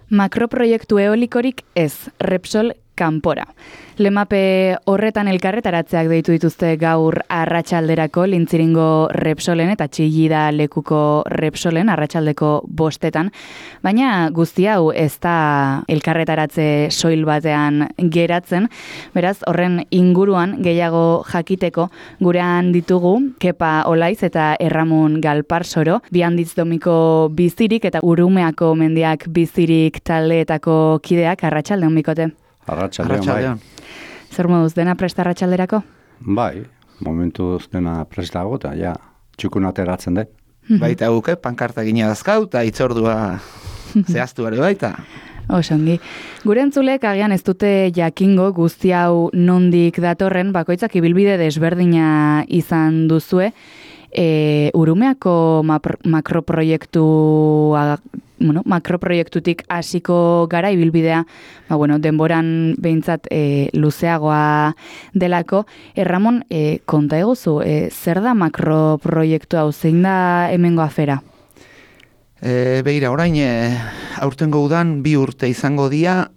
Makroproiektu eolikorik ez, Repsol kanpora. Lemape horretan elkarretaratzeak deitu dituzte gaur arratsalderako Lintziringo Repsolen eta Txillida lekuko Repsolen arratsaldeko 5:00, baina guzti hau ez da elkarretaratze soil batean geratzen, beraz horren inguruan gehiago jakiteko gurean ditugu Kepa Olaiz eta Erramun Galparsoro, bi handitz domiko bizirik eta Urumeako mendiak bizirik taldeetako kideak. Arratsaldeon bikote. Arratsaldeon. Zer moduz, dena presta arratsalderako? Bai, momentuz dena prestago eta ja, txukun ateratzen dut. Baita guke, pankarta gina dazkau eta itzordua zehaztu ere baita. Osongi. Gure entzulek agian ez dute jakingo guzti hau nondik datorren, bakoitzak ibilbide desberdina izan duzue. Urumeako makroproiektutik hasiko gara ibilbidea, denboran behintzat luzeagoa delako. Ramon, konta eguzu, zer da makroproiektu hau, zein da hemengo afera? Begira, orain, aurtengo udan 2 urte izango dira,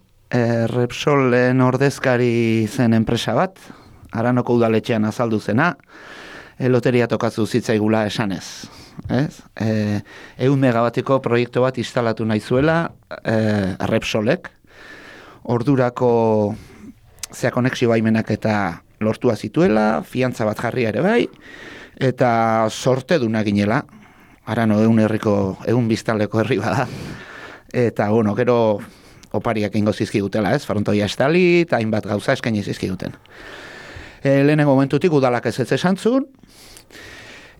Repsolen ordezkari zen enpresa bat, Aranoko udaletxean azaldu zena, loteria tokatzu zitzaigula esanez. 100 megabatiko proiektu bat instalatu nahi zuela Repsolek. Ordurako konexio baimenak eta lortua zituela, fiantza bat jarri ere bai, eta sorte duna ginela. Arano 100 biztanleko herri bada. Eta, gero opariak ingo zizkigutela, frontoia estali, eta hainbat gauza eskaini zizkiguten. Lehenengo momentutik udalak ez esan zuen,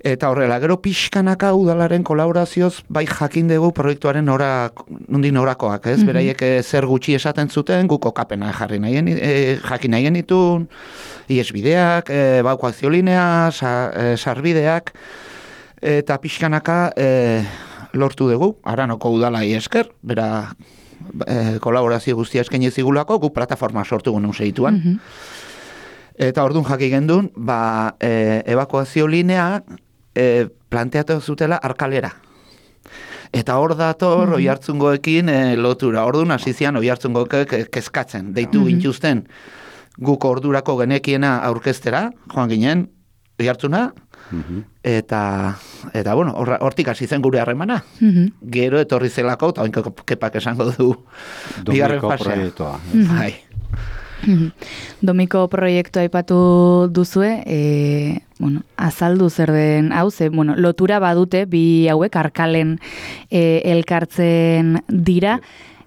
eta horrela, gero pixkanaka udalaren kolaborazioz bai jakin dugu proiektuaren nondin orakoak, beraiek zer gutxi esaten zuten, guko kapena jakin nahi genitun, iesbideak, baukoaziolinea, sarbideak, eta pixkanaka lortu dugu, Aranoko udalai esker, bera kolaborazio guztia eskaini zigulako, gu plataforma sortu guen segituan. Eta orduan jaki gendun, ebakuazio linea planteatu zutela Arkalera. Eta hor dator Oiartzungoekin lotura. Orduan hasizian Oiartzungoek kezkatzen. Deitu gintuzten guk ordurako genekiena aurkeztera, joan ginen Oiartzuna, eta hortik hasi zen gure harremana. Gero etorri zelako, eta oinko Kepak esango du bigarren fasea. Domiko proiektua. Bai. Domiko proiektua aipatu duzue, azaldu zer den hau, lotura badute bi hauek Arkalen elkartzen dira,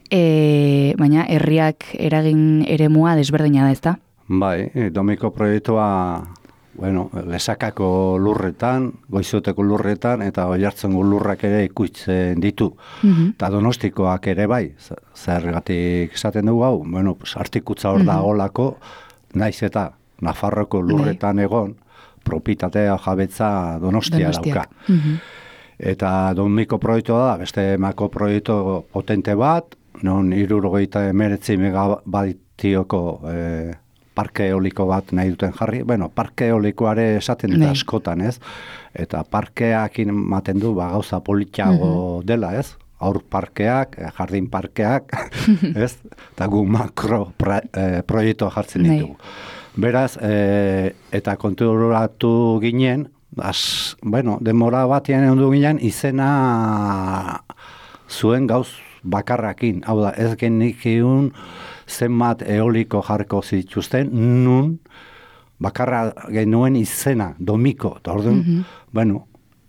baina herriak eragin eremua desberdina da, ezta? Bai, Domiko proiektua Lesakako lurretan, Goizoteko lurretan, eta Oiartzungo lurrak ere ikutzen ditu. Eta Donostikoak ere bai, zergatik esaten dugu hau, artikutza hor da olako, naiz eta Nafarroko lurretan egon, propitatea jabetza Donostia dauka. Eta Domiko proiektua da, beste mako proiektu potente bat, non 79 megabatioko parke eoliko bat nahi duten jarri. Parke eolikoare esaten dut askotan, ez? Eta parkeak ematen du gauza politiago dela, ez? Aur parkeak, jardin parkeak, ez? Eta gu makro proiektua jartzen ditugu. Beraz, eta konturatu ginen, denbora batian egon du ginen, izena zuen gauz bakarrakin. Hau da, ez genikiun zenbat eoliko jarko zituzten, nun bakarra genuen izena, Domiko. Eta orduan,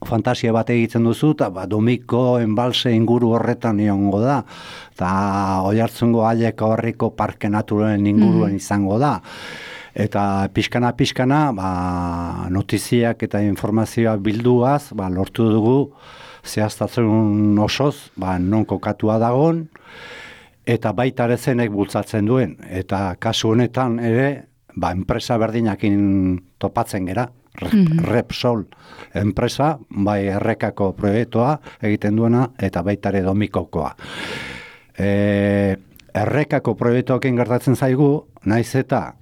fantasia bat egiten duzu, eta Domiko enbalse inguru horretan iongo da, eta Oiartzungo Aileko Herriko Parke Naturalen inguruan izango da. Eta pixkana, notiziak eta informazioa bilduaz, lortu dugu, zehaztatzen osoz, non kokatua dagon, eta baita ere zenek bultzatzen duen. Eta kasu honetan ere, enpresa berdinakin topatzen gera. Repsol enpresa, bai errekako proiektua egiten duena, eta baita ere Domikokoa. Errekako proiektuakin gertatzen zaigu, naiz eta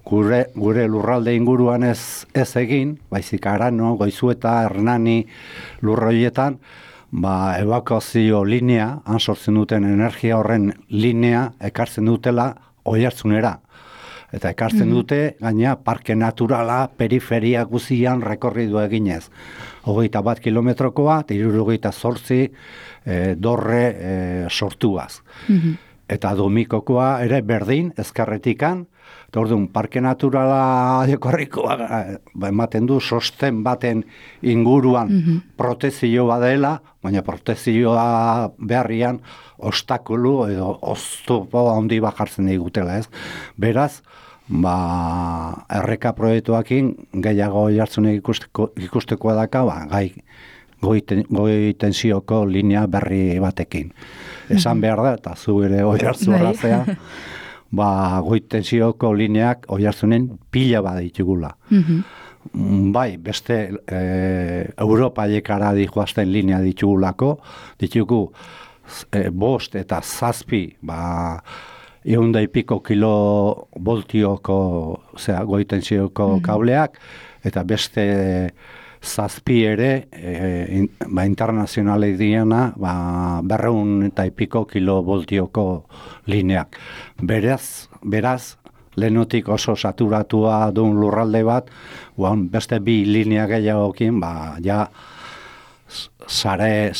gure lurralde inguruan ez egin, baizik Arano, Goizueta, Hernani lurroietan, evakuazio linea, han sortzen duten energia horren linea ekartzen dutela Oiartzunera. Eta ekartzen dute, gaina, parke naturala periferia guzian rekorridu eginez. 21 kilometrokoa, eta 78 dorre sortuaz. Eta domikokoa ere berdin, ezkerretikan, eta orduan, parke naturala dekorrikoa ematen du sosten baten inguruan protezio badela, baina protezioa beharrian ostakulu edo oztopo handi bajartzen digutela, ez? Beraz, erreka proiektuakin gehiago jartzunek ikusteko daka, goi tensioko linea berri batekin. Esan behar da, eta zu ere Oiartzun arrazea, goi tensioko lineak Oiartzunen pila baditugula. Bai, beste Europaiekara dijoazten linea ditugulako, ditugu 5 eta 7, 100 kilovoltioko goitensioko kableak, eta beste 7 ere, internazionalek diena, 200 eta kilovoltioko lineak. Beraz, lehenotik oso saturatua duen lurralde bat, beste 2 linea gehiagokin, sare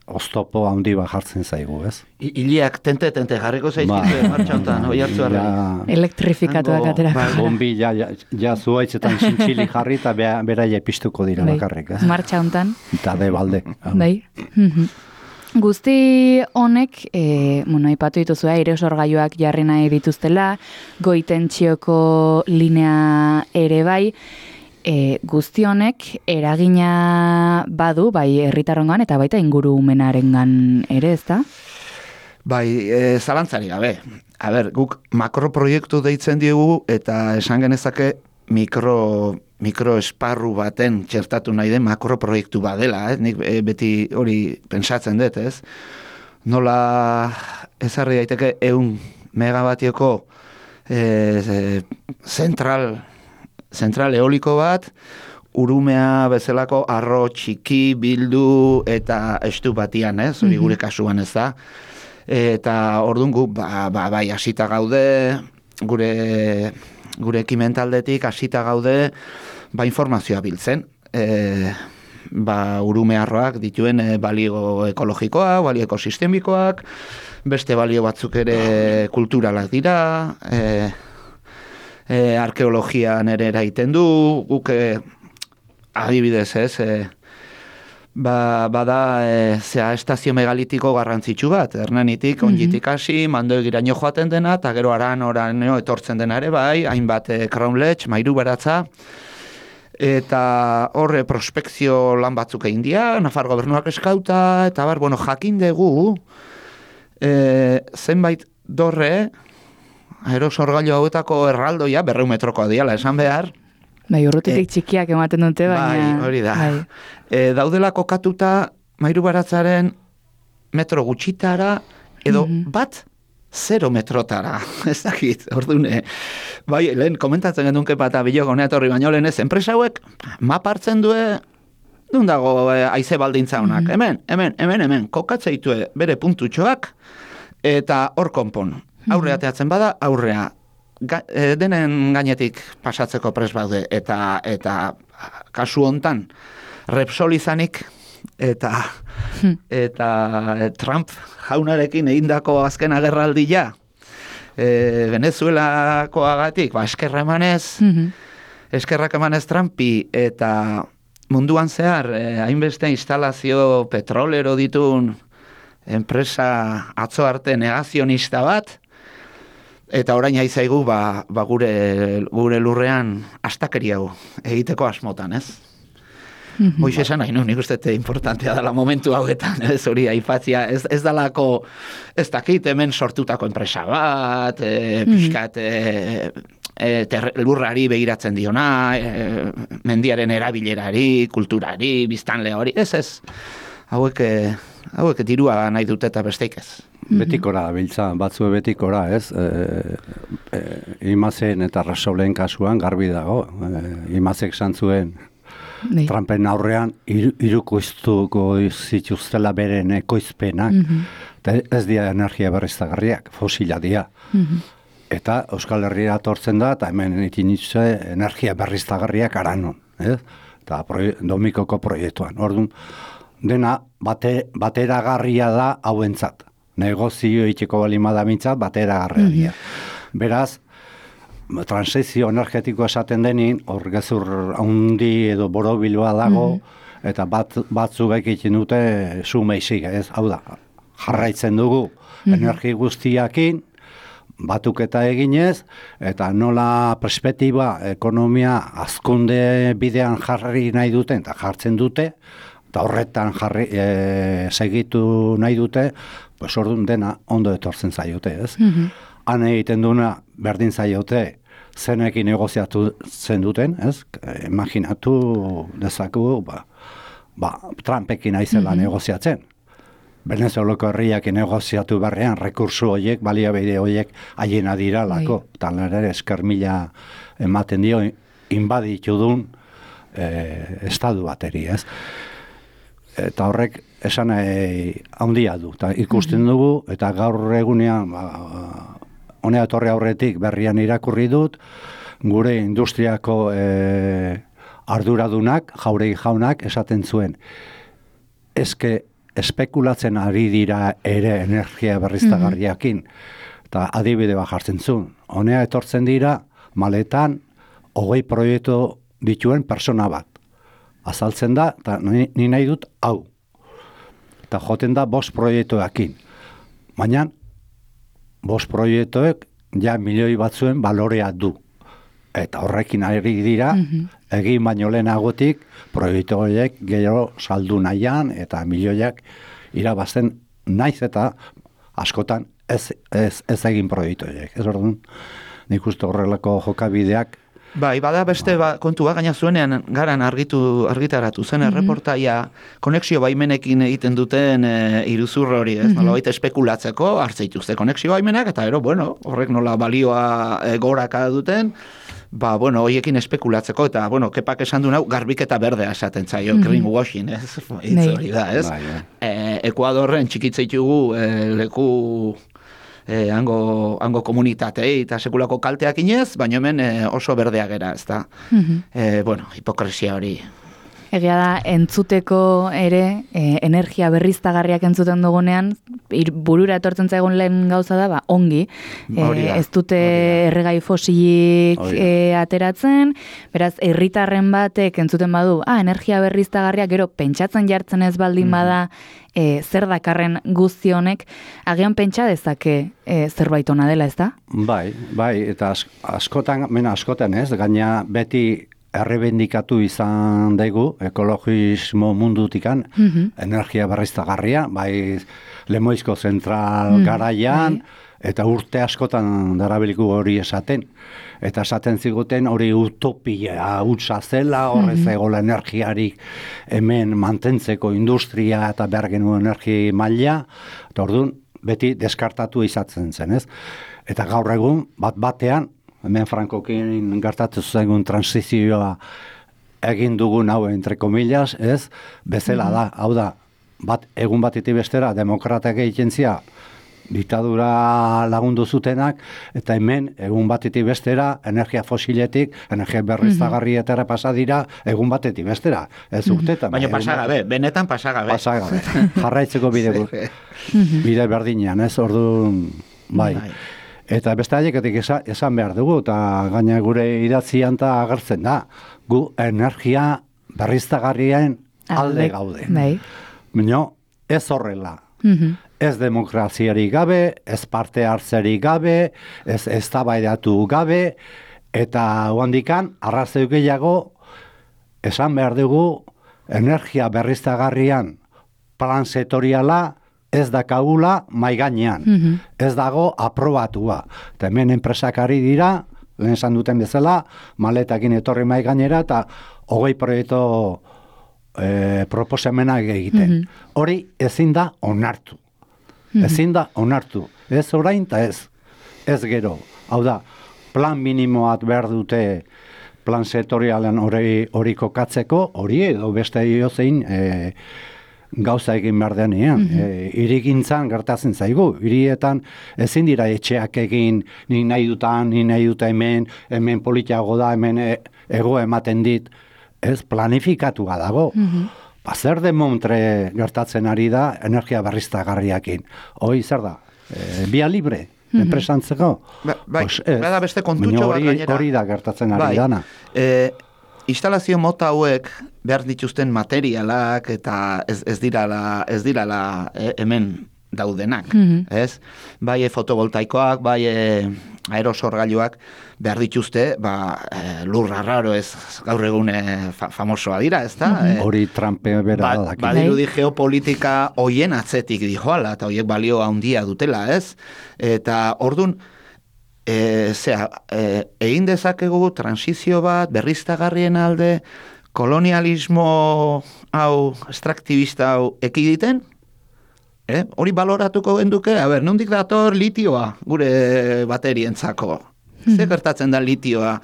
oztopo handi bat jartzen zaigu, ez? Iliak tente jarriko zaizkizu martxautan, Oiartzuarren. Elektrifikatuak aterako. Bombi ja zuaitzetan zintxili jarri eta beraia piztuko dira bakarrik, ez? Martxa hontan. Eta de balde. Bai. Guzti honek, aipatu dituzua, airesorgailuak jarri nahi dituztela, goitentzioko linea ere bai, guzti honek eragina badu, bai herritarrongan eta baita ingurumenarengan ere, ezta? Bai, zalantzari gabe. Guk makroproiektu deitzen diegu eta esan genezake mikroesparru baten txertatu nahi den makroproiektu badela, nik beti hori pentsatzen dut, ez? Nola ezarri daiteke 100 megabatioko zentral eoliko bat, urumea bezalako arro txiki bildu eta estu batian, ez? Hori gure kasuan ez da. Eta orduan gu, bai, hasita gaude, gure ekimentaldetik hasita gaude, informazioa biltzen. Urume arroak dituen balio ekologikoa, balio ekosistemikoak, beste balio batzuk ere kulturalak dira, arkeologian ere eraiten du, guk adibidez ez, bada estazio megalitiko garrantzitsu bat, Hernanitik, ongitik hasi, Mandoegiraino joaten dena, eta gero oraino etortzen dena ere bai, hainbat Crownledge, Mairu Beratza, eta horre prospekzio lan batzuk egin dira, Nafar gobernuak eskauta, eta jakin dugu, zenbait dorre, aerosorgailu hauetako erraldoia 200 metrokoa diala esan behar. Bai, urrutitik txikiak ematen dute, baina... Bai, hori da. Daudela kokatuta Mairu Baratzaren metro gutxitara, edo bat 0 metrotara. Ez dakit, ordune. Bai, lehen komentatzen genunke bat abilok honeat horri baino lehen ez, enpresa hauek mapartzen due, duen dago haize baldintza honak. Hemen, kokatzeitue bere puntutxoak, eta hor konpon. Aurrea teatzen bada, aurrea. Denen gainetik pasatzeko pres baude, eta kasu hontan Repsol izanik, eta Trump jaunarekin egindako azken agerraldia, Venezuelakoagatik, eskerra emanez Trumpi, eta munduan zehar, hainbeste instalazio petrolero ditun enpresa atzo arte negazionista bat, eta orain aizaigu gure lurrean astakeriago egiteko asmotan, ez? Hoiz esan nahi, nik uste importantea dela momentu hauetan, ez hori aipatzia, ez dalako, ez dakit hemen sortutako enpresa bat, pixkat lurrari begiratzen diona, mendiaren erabilerari, kulturari, biztanle hori, ez, hauek dirua nahi dute eta besteik ez. Betikora, biltza, batzue betikora, ez? Imazen eta Repsolen kasuan garbi dago. Imazek zantzuen Trumpen aurrean irukoiztuko zituztela beren ekoizpenak, eta ez dira energia berriztagarriak, fosila dira. Eta Euskal Herria tortzen da, eta hemen itin energia berriztagarriak aranon, eta Domikoko proiektuan. Orduan, dena bateragarria da hauentzat. Negozio itxeko balima da mintzat, bateragarria. Beraz, transizio energetiko esaten denin, hor gezur handi edo borobiloa dago, eta batzuk egiten dute sumeizik, ez? Hau da, jarraitzen dugu energi guztiakin, batuketa eginez, eta nola perspektiba, ekonomia, hazkunde bidean jarri nahi duten, eta jartzen dute, eta horretan segitu nahi dute, pues orduan dena ondo etortzen zaiote, ez? Han egiten duna berdin zaiote, zenekin negoziatu zen duten, ez? Imaginatu dezaku, Trumpekin aizela negoziatzen. Venezuelako herriak negoziatu berrean, rekursu horiek, baliabide horiek haiena diralako. Tal ere eskermila ematen dio, inbaditu duen estadu bateri, ez? Eta horrek esan handia du. Ta ikusten dugu, eta gaur egunean, honea etorri aurretik berrian irakurri dut, gure industriako arduradunak, Jauregi jaunak, esaten zuen. Espekulatzen ari dira ere energia berriztagarriakin, eta adibide bat jartzen zuen. Honea etortzen dira, maletan, 20 proiektu dituen persona bat. Azaltzen da, eta ni nahi dut hau. Eta joten da 5 proiektuekin. Baina, 5 proiektuek ja milioi batzuen balorea du. Eta horrekin ari dira, egin baino lehenagotik, proiektu horiek gero saldu nahian, eta milioiak irabazten naiz eta askotan ez egin proiektu horiek. Ez orduan, nik uste horrelako jokabideak. Bai, bada beste kontua gaina zuenean garan argitaratu zen erreportaia konexio baimenekin egiten duten iruzur hori, ez? Nolabait espekulatzeko hartzeituzte konexio baimenak, eta bueno, horrek nola balioa goraka duten, hoiekin espekulatzeko, eta, Kepak esan du nau, garbiketa berdea esaten zaio, greenwashing, ez? Hitz hori da, ez? Ekuadorren txikitzeitugu leku hango komunitatei eta sekulako kalteak inez, baina hemen oso berdea gera, ez da? Hipokresia hori. Egia da, entzuteko ere, energia berriztagarriak entzuten dugunean, burura etortzen zaigun lehen gauza da, ongi. Ez dute erregai fosilik ateratzen, beraz, herritarren batek entzuten badu, energia berriztagarriak gero pentsatzen jartzen ez baldin bada, zer dakarren guzti honek, agian pentsa dezake zerbait ona dela, ez da? Bai, eta askotan ez, gaina beti errebendikatu izan dugu, ekologismo mundutikan, energia berriztagarria, bai Lemoizko zentral garaian, eta urte askotan darabiliku hori esaten. Eta esaten ziguten hori utopia hutsa zela, horrez egola energiarik hemen mantentzeko industria eta behar genuen energi maila, eta orduan beti deskartatu izatzen zen, ez? Eta gaur egun, batean, hemen Frankokin gertatu zaigun transizioa egin dugun hau, entre comillas, ez? Bezala da, hau da, egun batetik bestera, demokratak egiten zia, diktadura lagundu zutenak, eta hemen, egun batetik bestera, energia fosiletik, energia berriztagarrietara pasa dira, egun batetik bestera. Ez urtetan. Baina pasagabe, benetan pasagabe. Pasagabe. Jarraitzeko bide berdinean, ez? Orduan, bai. Eta beste haieketik esan behar dugu, eta gaina gure idatzian eta agertzen da, gu energia berriztagarrien alde gaude. Baina ez horrela, ez demokraziarik gabe, ez parte hartzerik gabe, ez eztabaidatu gabe, eta handikan arrazoi gehiago esan behar dugu energia berriztagarrian plan sektoriala ez dakagula maigainean. Ez dago aprobatua. Eta hemen enpresak ari dira, lehen esan duten bezala, maletakin etorri maigainera eta 20 proiektu proposamenak egiten. Hori ezin da onartu. Ezin da onartu. Ez orain eta ez gero. Hau da, plan minimoat behar dute plan sektorialen hori kokatzeko, hori edo beste zein gauza egin behar denean. Hirigintzan gertatzen zaigu. Hirietan ezin dira etxeak egin, ni nahi dut hemen politiago da, hemen ego ematen dit. Ez planifikatua dago. Zer de montre gertatzen ari da energia berriztagarriakin. Hoi zer da? Bia libre, enpresantzeko? Bada beste kontutxo bat gainera. Hori da gertatzen ari dana. Instalazio mota hauek behar dituzten materialak eta ez dirala hemen daudenak, ez? Bai fotovoltaikoak, bai aerosorgailuak behar dituzte, lur raro ez gaur egun famosoa dira, ez da? Hori Trumpe bera da. Badirudi geopolitika hoien atzetik dijoala, eta hoiek balio handia dutela, ez? Eta ordun egin dezakegu transizio bat, berriztagarrien alde, kolonialismo hau, extraktibista hau ekiditen, hori baloratuko genduke, nondik dator litioa gure baterientzako. Zer gertatzen da litioa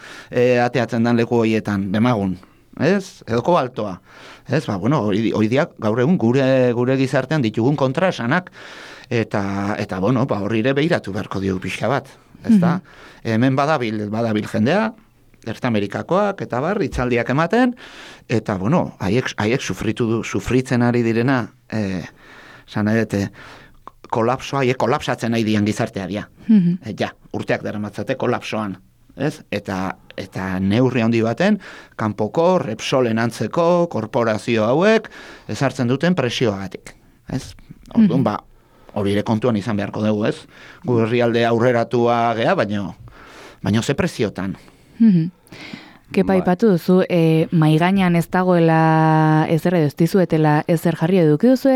ateatzen dan leku horietan, demagun, ez? Edo kobaltoa. Ez, hori gaur egun gure gizartean ditugun kontraesanak, eta horri ere behiratu beharko diogu pixka bat. Ezta? Hemen badabil jendea, Ertamerikakoak eta itzaldiak ematen, eta haiek sufritzen ari direna, kolapsatzen nahi dian gizartea dia. Urteak daramatzate kolapsoan. Ez? Eta neurri handi baten, kanpoko, Repsolen antzeko, korporazio hauek, ezartzen duten presioagatik. Ez? Orduan, hori ere kontuan izan beharko dugu, ez? Gu herrialde aurreratua gea, baina ze preziotan. Kepa ipatu duzu, maigainan ez dagoela ezer edo ez dizuetela ezer jarri eduki duzu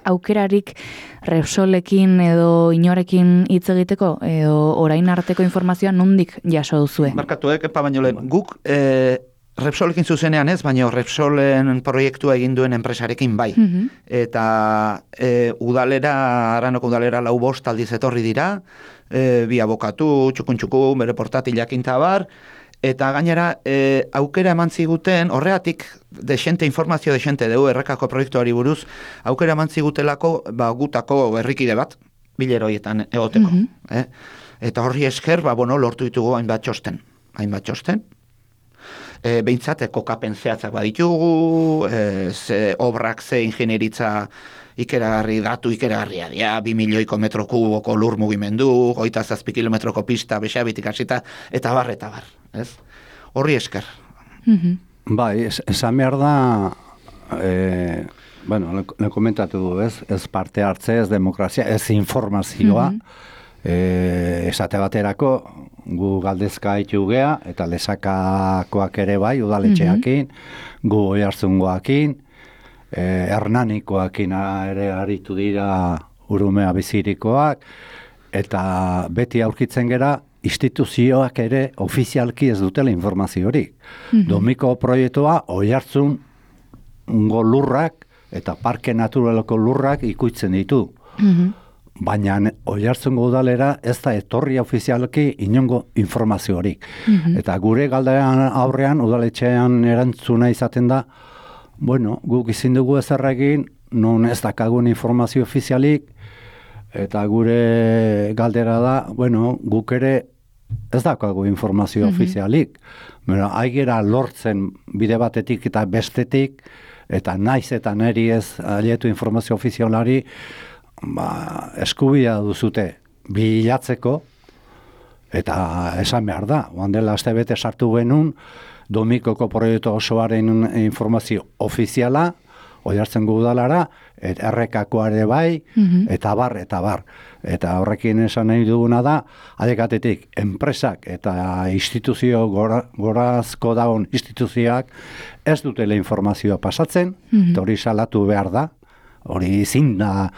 aukerarik Repsolekin edo inorekin hitz egiteko, edo orain arteko informazioa nondik jaso duzue? Barkatu, Kepa, baino lehen, guk Repsolekin zuzenean ez, baina Repsolen proiektua egin duen enpresarekin bai. Eta Aranoko udalera 4 aldiz etorri dira, bi abokatu, txukun, bere portatilak intabar, eta gainera aukera eman ziguten, horreatik informazio desente dugu errekako proiektuari buruz, aukera eman zigutelako gutako herrikide bat, bileroietan egoteko. Eta horri esker, lortu ditugu hainbat txosten. Behintzat, kokapen zehatzak baditugu, ze obrak, ze ingenieritza datu ikeragarria dira, 2 milioiko metro kuboko lur mugimendu, 27 kilometroko pista, bexabitik hasita, eta bar. Ez? Horri esker. Bai, esan behar da, le komentatu du, ez parte hartze, ez demokrazia, ez informazioa, esate baterako, gu galdezka haitu gea, eta lesakakoak ere bai, udaletxeakin, gu oihartzungoakin, hernanikoakin ere aritu dira urumea bizirikoak, eta beti aurkitzen gera, instituzioak ere ofizialki ez dutela informaziorik. Domiko proiektua oihartzungo lurrak eta parke naturaleko lurrak ikuitzen ditu. Baina oihartzungo udalera ez da etorri ofizialki inongo informaziorik. Eta gure galdean aurrean udaletxean erantzuna izaten da, guk izin dugu ezerregin, non ez dakagun informazio ofizialik, eta gure galdera da, guk ere ez dakagu informazio ofizialik. Aigera lortzen bide batetik eta bestetik, eta naiz eta neri ez alietu informazio ofizialari, eskubia duzute bilatzeko, eta esan behar da, dela astebete sartu genuen, Domikoko proiektu osoaren informazio ofiziala, oihartzungo udalara, errekakoare bai, eta bar. Eta horrekin esan nahi duguna da, adekatetik, enpresak eta instituzio gorazko daun instituzioak ez dutela informazioa pasatzen, eta hori salatu behar da, hori zin da,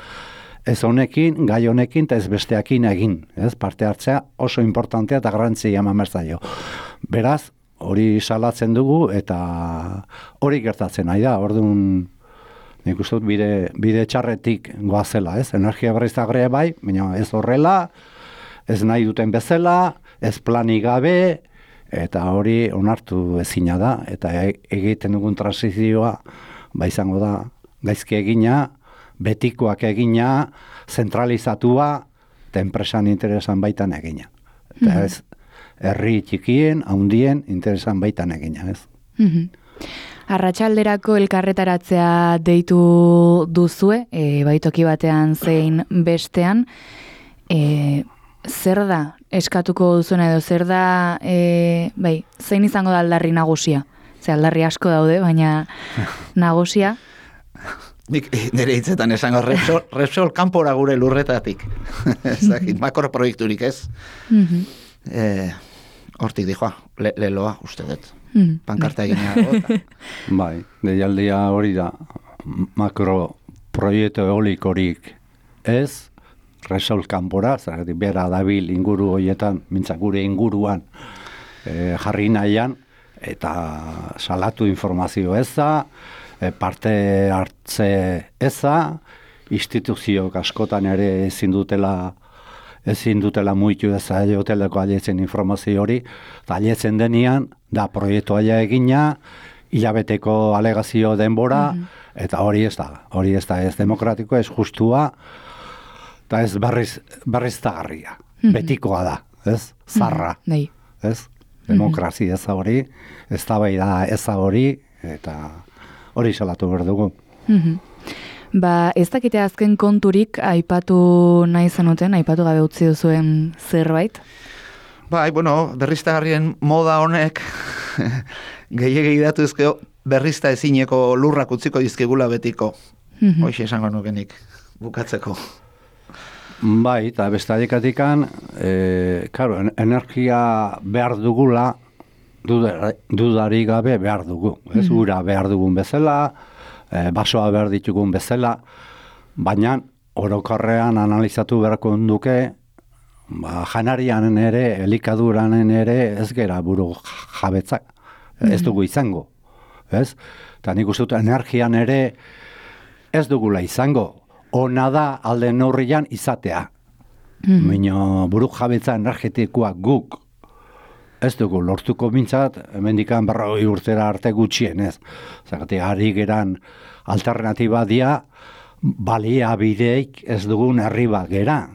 ez honekin, gai honekin, eta ez besteakin egin, ez parte hartzea oso importantea eta garrantzia eman zaio. Beraz, hori salatzen dugu, eta hori gertatzen nahi da, orduan, nik uste dut bide txarretik goazela, ez? Energia berriztagarria bai, baina ez horrela, ez nahi duten bezala, ez planik gabe, eta hori onartu ezina da, eta egiten dugun transizioa, izango da, gaizki egina, betikoak egina, zentralizatua, eta enpresan interesan baitan egina. Eta ez, herri txikien, handien, interesan baitan egina, ez? Arratsalderako elkarretaratzea deitu duzue, baitoki batean zein bestean, zer da eskatuko duzuena edo zer da, zein izango da aldarri nagusia? Ze aldarri asko daude, baina nagusia? Nik nire hitzetan esango Repsol kanpora gure lurretatik. Ezakit, makroproiekturik ez. Hortik dijoa, leloa, uste dut. Pankarta egin Bai, deialdia hori da, makroproiektu eolikorik ez, Repsol kanpora, zergatik bera dabil inguru horietan, mintzak gure inguruan jarri nahian, eta salatu informazio eza, parte hartze eza, instituziok askotan ere ezin dutela muitu eza joteleko aletzen informazio hori, eta aletzen denian, da proiektu aia egina, hilabeteko alegazio denbora, eta hori ez da ez demokratiko, ez justua, eta ez berriz tagarria, betikoa da, ez, zarra, ez, demokrazia eza hori, ez da bai da eza hori, eta hori salatu behar dugu. Ez dakite azken konturik aipatu nahi zenuten, aipatu gabe utzi duzuen zerbait? Bai, berriztagarrien moda honek gehiagei datuzkeo berrizta ezineko lurrak utziko dizkigula betiko. Hoxe esango nukenik, bukatzeko. Bai, eta bestadikatikan, energia behar dugula, dudari gabe behar dugu. Ez ura behar dugun bezala, basoa behar ditugun bezala, baina orokorrean analizatu beharko duke, janarianen ere, elikaduranen ere, ez gera buru jabetzak, ez dugu izango. Ez? Eta nik uste dut energian ere ez dugula izango. Ona da alde neurrian izatea. Baina buru jabetza energetikoak guk ez dugu lortuko mintzat, hemendikan 40 urtera arte gutxien, ez. Zagatik, ari geran alternatiba dia, baliabideik ez dugun herri bat gera.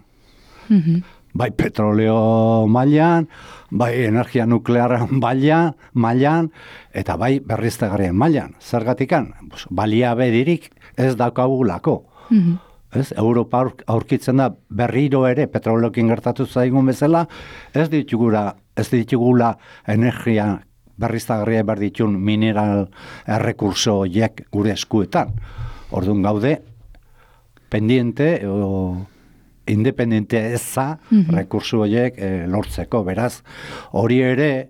Bai petroleo mailan, bai energia nuklearan mailan, eta bai berriztagarrien mailan. Zergatikan, baliabedirik ez daukagulako. Ez, Europa aurkitzen da berriro ere petroleokin gertatu zaigun bezala, ez ditugula energia berriztagarria behar ditun mineral errekurso horiek gure eskuetan. Orduan gaude, pendiente o independente eza rekurso horiek lortzeko. Beraz, hori ere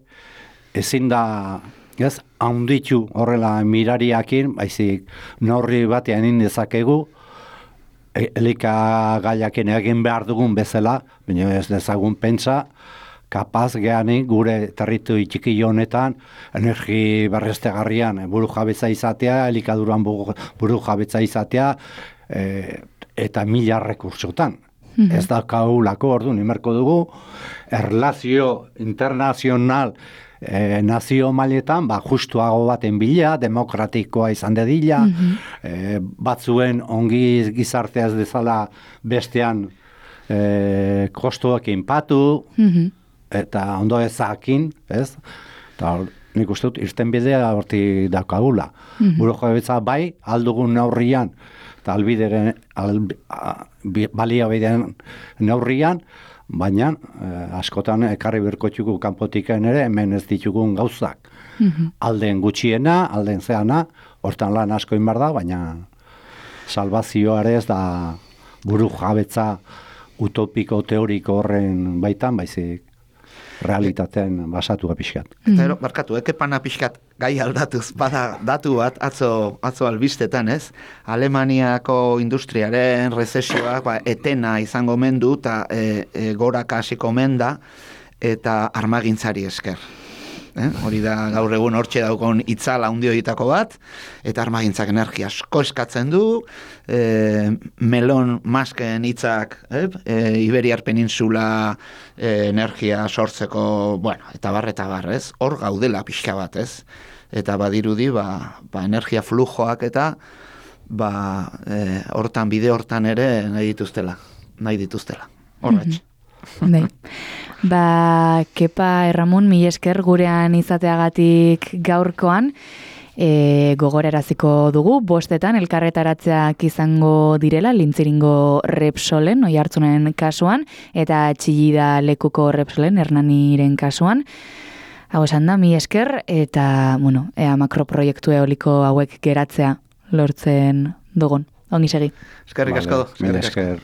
ezin da, ez, handitu horrela mirariakin, baizik norri batean indezakegu, elikagaiakin egin behar dugun bezala, baina ez dezagun pentsa, kapaz geanik gure territu txiki honetan energi berriztagarrian buru jabetza izatea, elikaduran buru jabetza izatea, eta 1000 rekursotan. Ez da kaulako orduan, imerko dugu, erlazio internazional nazio mailetan, justuago baten bila, demokratikoa izan dedila, batzuen ongi gizartea ez dezala bestean kostuak inpatu, eta ondo ezakin, ez? Eta nik uste dut, irten bidea horti daukagula. Buru jabetza bai, aldugun neurrian, eta baliabideen neurrian, baina askotan ekarri berkotxuko kanpotiken ere hemen ez ditugun gauzak. Alden gutxiena, alden zeana, hortan lan asko inbar da, baina salvazioare ez da buru jabetza utopiko teoriko horren baitan, baizik realitatean basatua pixkat. Eta barkatu, ekepana pixkat gai aldatuz, bada datu bat atzo albistetan, ez? Alemaniako industriaren rezesioak etena izango mendu eta goraka hasiko menda eta armagintzari esker. Hori da gaur egun hortxe daukon itzala handi horietako bat, eta armagintzak energia asko eskatzen du, melon masken hitzak, Iberiar Peninsula energia sortzeko, eta bar, ez? Hor gaudela pixka bat, ez? Eta badirudi, energia flujoak eta hortan, bide hortan ere nahi dituztela. Horretx. Kepa Erramun, mila esker gurean izateagatik gaurkoan, gogoraraziko dugu, 5 elkarretaratzeak izango direla, Lintziringo Repsolen, Oiartzunen kasuan, eta Txillida lekuko Repsolen, Hernaniren kasuan. Hau esan da, mila esker, eta, ea makroproiektu eoliko hauek geratzea lortzen dugun. Ongi segi. Eskerrik asko. Mila esker.